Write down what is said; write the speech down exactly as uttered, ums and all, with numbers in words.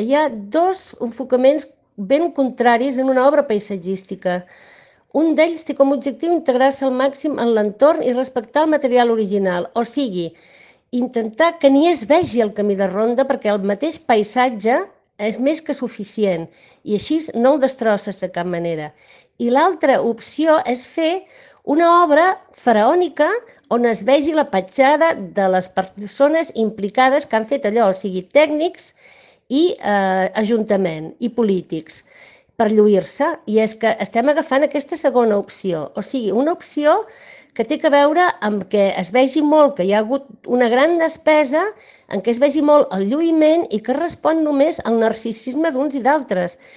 Hi ha dos enfocaments ben contraris en una obra paisatgística. Un d'ells té com a objectiu integrar-se al màxim en l'entorn i respectar el material original, o sigui, intentar que ni es vegi el camí de ronda perquè el mateix paisatge és més que suficient i així no el destrosses de cap manera. I l'altra opció és fer una obra faraònica on es vegi la petjada de les persones implicades que han fet allò, o sigui, tècnics i eh, ajuntament i polítics per lluir-se, i és que estem agafant aquesta segona opció, o sigui, una opció que té a veure amb que es vegi molt que hi ha hagut una gran despesa, en què es vegi molt el lluïment i que respon només al narcisisme d'uns i d'altres.